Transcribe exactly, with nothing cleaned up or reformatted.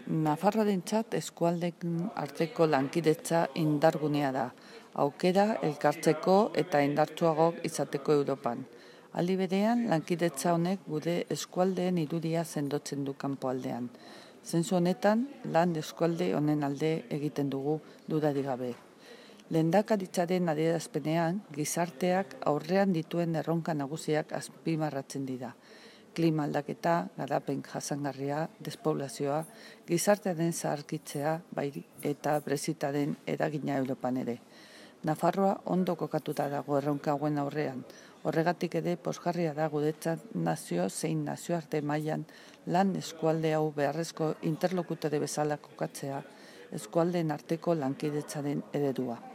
Nafarroarentzat eskualdeen arteko lankidetza indargunea da, aukera elkartzeko eta indartsuago izateko Europan. Aldi berean, lankidetza honek gure eskualdeen irudia sendotzen du kanpoaldean. Zentzu honetan, lan eskualde honen alde egiten dugu dudarik gabe. Lehendakaritzaren adierazpenean, gizarteak aurrean dituen erronka nagusiak azpimarratzen dira. Klima aldaketa, garapen jasangarria, despoblazioa, gizartearen zaharkitzea bai eta Brexitaren eragina Europan ere. Nafarroa ondo kokatuta dago erronka hauen aurrean. Horregatik ere pozgarria da guretzat nazio zein nazioarte mailan lan eskualde hau beharrezko interlokutore bezala kokatzea eskualdeen arteko lankidetzaren eredua.